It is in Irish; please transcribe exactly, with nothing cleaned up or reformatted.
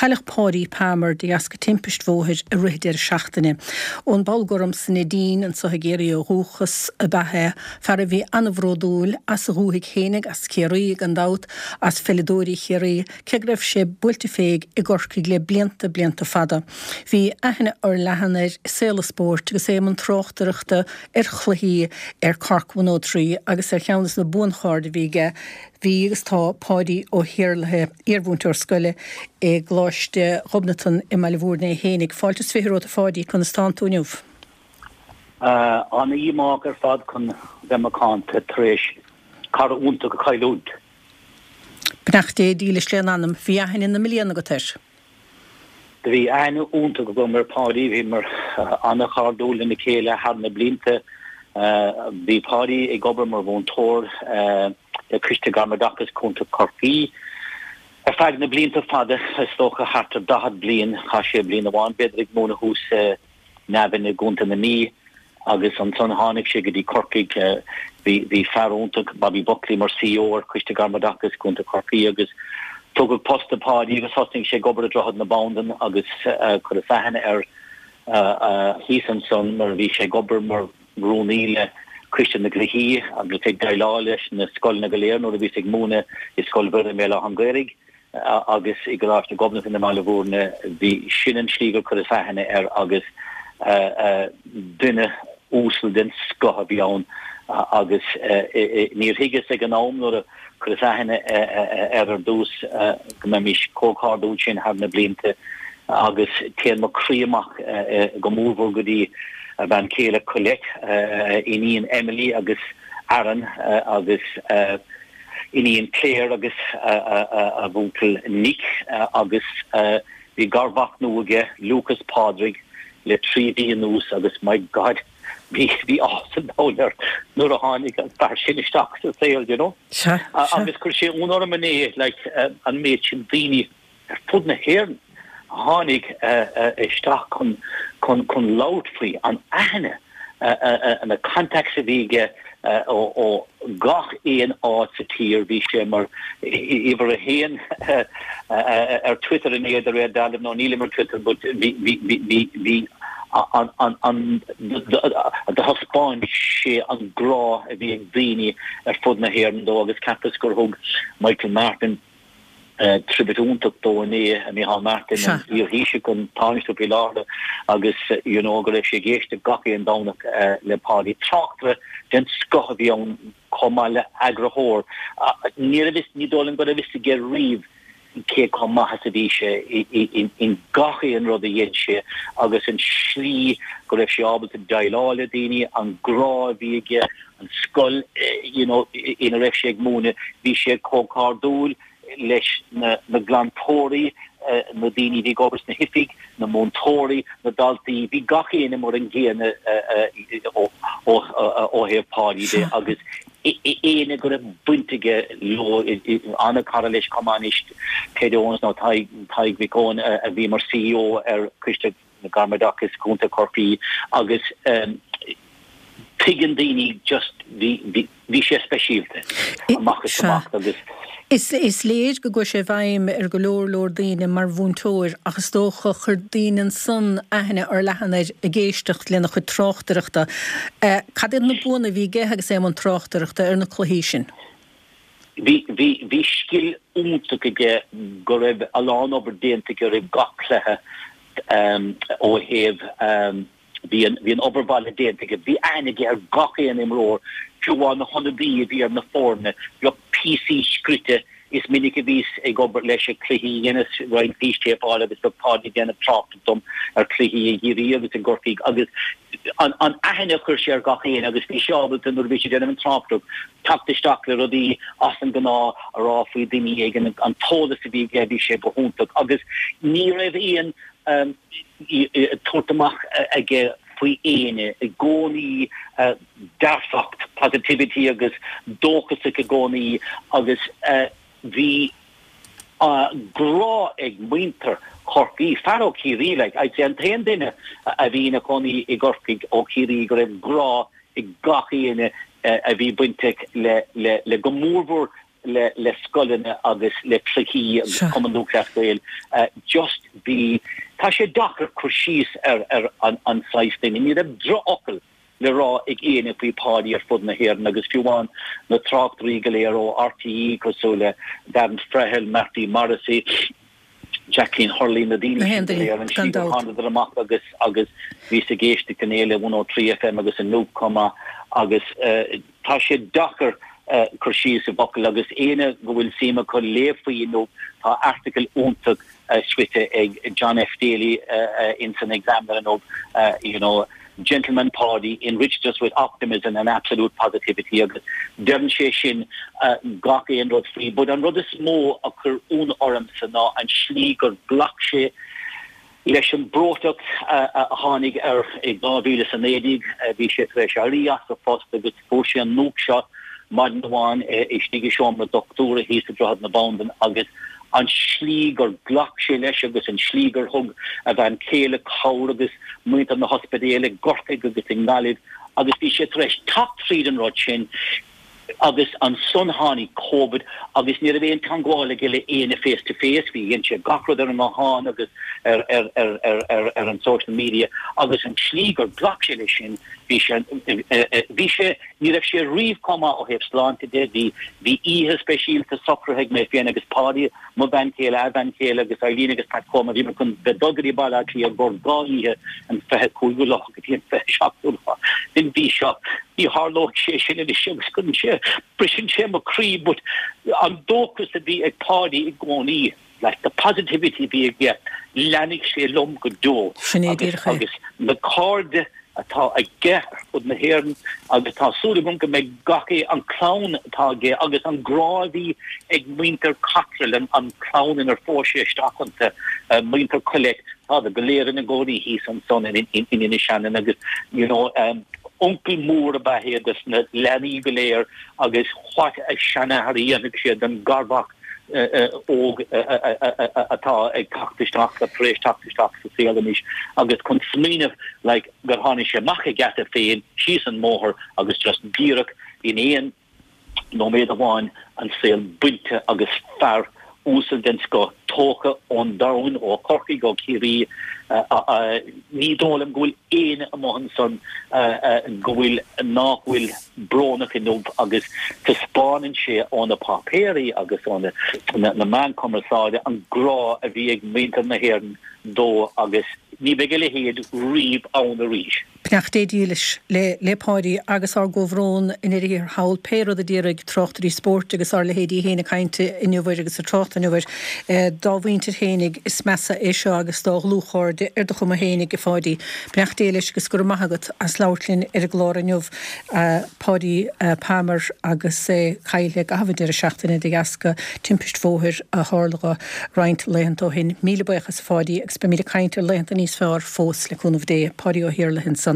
Cailleadh Páidí Palmer de dheasca timpist bhóthair i rith deireadh seachtaine. Ón bPoll Gorm sa Neidín anseo i gCiarraí ó dhúchas ab ea é, fear a bhí an-bhródúil as a dhúthaigh fhéinig, as Ciarraí gan dabht, as pheileadóirí Chiarraí, cé go raibh sé buailte féig i gCorcaigh le blianta blianta fada. Bhí aithne fhorleathan air i saol an spóirt agus é i mbun tráchtaireachta ar chluichí ar Cork one oh three agus ar cheann de na buanchairde a bhí aige bhí agus tá Páidí Ó hIarlaithe, iarmhúinteoir scoile i gColáiste Ghobnatan i mBaile Bhúirne é fhéinig. Fáilte is fiche romhat a Pháidí, conas tánn tú inniu? An-dhíomách ar fad chun bheith macánta tar éis cara iontach a chailliúint. Beannacht Dé dílis lena anam. Bhí aithne na mblian agat air. Do bhí aithne iontach agam ar Pháidí, bhíomar an-chairdiúil lena chéile thar na blianta. Bhí Páidí ag obair mar mhúinteoir le Coiste Gairmoideachais Contae Chorcaí ar feadh na blianta fada, is dócha thart ar daichead bliain. Chaith sé bliain amháin b'fhéidir ag múineadh thuas i Navan i gContae na Mí agus ansan tháinig sé go dtí Corcaigh. Bhí bhí fear iontach, Bobby Buckley, mar CEO ar Choiste Gairmoideachais Contae Chorcaí agus tugadh post do Pháidí agus thosnaigh sé ag obair i Droichead na Bandan agus chuireas aithne air thíos ansan mar a bhí sé ag obair mar rúnaí le Coiste na gCluichí agus ag déileáil leis na scoileanna go léir nuair a bhíos ag múineadh i Scoil Mhuire i mBéal Átha an Ghaorthaidh agus i gColáiste Ghobnatan i mBaile Bhúirne. Bhí sin an slí gur chuireas aithne air agus duine uasal den scoth a bhí ann agus níor thuigeas ag an am nuair a chuireas aithne air ar dtús go mbeimis chomh cairdiúil sin thar na blianta agus téann mo chroí amach go mórmhór go dtí a bhean chéile Colette, a iníon Emily agus Aaron agus iníon Claire agus a bhuachaill Nick agus bhí garmhac nua aige, Lucas Pádraig, le trí mhí anuas agus my God bhí bhí áthas an domhain air nuair a tháinig an fear sin isteach sa saol, you know. Agus chuir sé ionadh orm inné like an méid sin daoine ar fud na hÉireann a tháinig isteach chun chun chun labhairt faoi an aithne na contacts a bhí aige ó ó gach aon áit sa tír. Bhí sé mar uimhir a haon ar Twitter inné de réir dealraimh, nó nílim ar Twitter but bhí bhí bhí bhí an an an do thaispeáin sé an grá a bhí ag daoine ar fud na hÉireann dó agus cheapas gur thug Michael Martin tribute iontach dó inné, Micheál Martin, an iar-Thaoiseach, an Tánaiste faoi láthair agus you know go raibh sé ag éisteacht gach aon Domhnach le Páidí. Tráchtaire den scoth a bhí ann chomh maith le eagraitheoir. Ní raibh fhios, ní dóigh liom go raibh fhios aige riamh cé chomh maith is a bhí sé in gach aon rud a dhein sé agus an slí go raibh sé ábalta déileáil le daoine, an grá a bhí aige, an scoil you know ina raibh sé ag múineadh, bhí sé chomh cairdiúil leis na glantóirí, na daoine a bhí ag obair sna hoifigí, na múinteoirí, na daltaí, bhí gach éinne mar an gcéanna ó thaobh Páidí de agus éinne go raibh baint aige leo, an-chara leis chomh maith anois, Ted Owens nó Tadhg Mhic Eoin a bhí mar CEO ar Choiste na Gairmoideachais Contae Chorcaí agus tuigeann daoine just bhí bhí sé speisialta amach is amach agus. Is is léir go gcuaigh sé i bhfeidhm ar go leor leor daoine mar mhúinteoir ach is dócha chuir daoine ansan aithne fhorleathan air ag éisteacht lena chuid tráchtaireachta. Cad iad na buanna a bhí aige agus é i mbun tráchtaireachta ar na cluichí sin? Bhí bhí bhí scil iontach aige go raibh a lán obair déanta aige roimh gach cluiche ó thaobh bhí an bhí an obair bhaile déanta aige. Bhí aithne aige ar gach aon imreoir, fiú amháin na hionadaí a bhí ar na foirne, bheadh píosaí scrite. Is minic a bhíos ag obair leis ag cluichí, dheineas roinnt fístéipeáil agus bheadh Páidí ag déanamh tráchtaireacht dom ar chluichí i gCiarraí agus i gCorcaigh agus an an aithne a chuir sé ar gach éinne agus bhí sé ábalta nuair a bhí sé ag déanamh an tráchtaireacht teacht isteach le rudaí as an ngnáth a rá faoi duine éigin, an t-eolas a bhí aige bhí sé go hiontach agus ní raibh aon tabhairt amach aige faoi éinne, i gcónaí dearfacht, positivity agus dóchasach i gcónaí agus bhí grá ag muintir Chorcaí, fear ó Chiarraí like, I'd say an t-aon duine a bhí ina chónaí i gCorcaigh ó Chiarraí go raibh grá ag gach éinne a bhí bainteach le le le go mórmhór le le scoileanna agus le cluichí agus Cumann Lúthchleas Gael just bhí tá sé deacair cur síos ar ar an an saghas duine ní raibh drochfhocal le rá ag éinne faoi Pháidí ar fud na hÉireann agus fiú amháin na tráchtairí go léir ó RTÉ cosúil le Darren Frehill, Marty Morrissey, Jacqueline Hurley na daoine sin go léir an slí gur thánadar amach agus agus bhíos ag éisteacht inné le one oh three FM agus inniu chomh maith agus tá sé deacair cur síos i bhfocail agus éinne go bhfuil suim acu léamh faoi inniu tá article iontach scríte ag John F Daly in san Examiner inniu you know Gentleman Páidí enriched us with optimism and absolute positivity agus deireann sé sin gach aon rud faoi. But an rud is mó a chuir ionadh ormsa ná an slí gur ghlac sé leis an breoiteacht a tháinig air i dhá mhíle is a naoi déag. Bhí sé tar éis éirí as a phost agus fuair sé an nuacht seo maidin amháin istigh i seomra dochtúra thíos i Droichead na Bandan agus an slí gur ghlac sé leis agus an slí gur thug a bhean chéile cabhair agus muintir na hospidéal i gCorcaigh agus i nGaillimh agus bhí sé tar éis teacht tríd an rud sin agus ansan tháinig Covid agus ní raibh aon teangmháil aige le éinne face to face, bhí dhein sé gach rud ar an nguthán agus ar ar ar ar ar ar an social media agus an slí gur ghlac sé leis sin bhí sé bhí sé ní raibh sé riamh chomh maith ó thaobh sláinte de, bhí bhí oíche speisialta socraithe ag mé féin agus Páidí, mo bhean chéile, a bhean chéile agus Eileen agus Pat Comer, bhíomar chun bheith dul go dtí Baile Átha Cliath i gcomhair dhá oíche an fiche cúigiú lá go dtí an fiche seachtú lá den mhí seo. Ní tharlóidh sé sin anois agus cuireann sé, briseann sé mo chroí but an dóchas a bhí ag Páidí i gcónaí, like the positivity a bhí aige, leanfaidh sé liom go deo Sin é agus díreach é. agus na cairde atá aige ar fud na hÉireann agus tá súil agam go mbeidh gach é an clann atá aige agus an grá a bhí ag muintir Cotterill an, an clann inar phós sé isteach iontu, uh, muintir Collett, tá go léir ina gcónaí thíos ansan in, in, in Inis Ceanainn agus you know, um, uncail mór ab ea é dos na leanaí go léir agus what a seanathair a dhéanfaidh sé don garmhac óg atá ag teacht isteach tar éis teacht isteach sa saol anois agus chun smaoineamh like gur tháinig sé amach a gheata féin síos an mbóthar agus just díreach in aon nóiméad amháin an saol bainte agus fear uasal den scoth tógtha ón domhan ó Chorcaigh ó Chiarraí ní dóigh liom go bhfuil éinne amuigh ansan go bhfuil nach bhfuil brónach inniu agus taispeánann sé ó na páipéirí agus ó na na meáin cumarsáide an grá a bhí ag muintir na hÉireann dó agus ní bheidh a leithéid riamh ann arís. Beannacht Dé dílis le le Páidí agus ár gcomhbhrón i ndeireadh thiar thall, pé rud a déarfaidh tráchtairí spóirt agus ár leithéidí féin ag caint inniu air agus ag trácht inniu air, dá mhuintir fhéinig is measa é seo agus dá dhlúthchairde ar do chuma fhéinig, a Pháidí. Beannacht Dé leis agus go raibh maith agat as labhairt linn ar an gclár inniu, Páidí Palmer agus é caillte i gcaitheamh an deireadh seachtaine de dheasca timpist bhóthair a tharla dho roinnt laethanta ó shin. Míle buíochas a Pháidí agus beimid ag caint ar laethanta níos fearr fós le cúnamh Dé. Páidí Ó hIarlaithe ansan.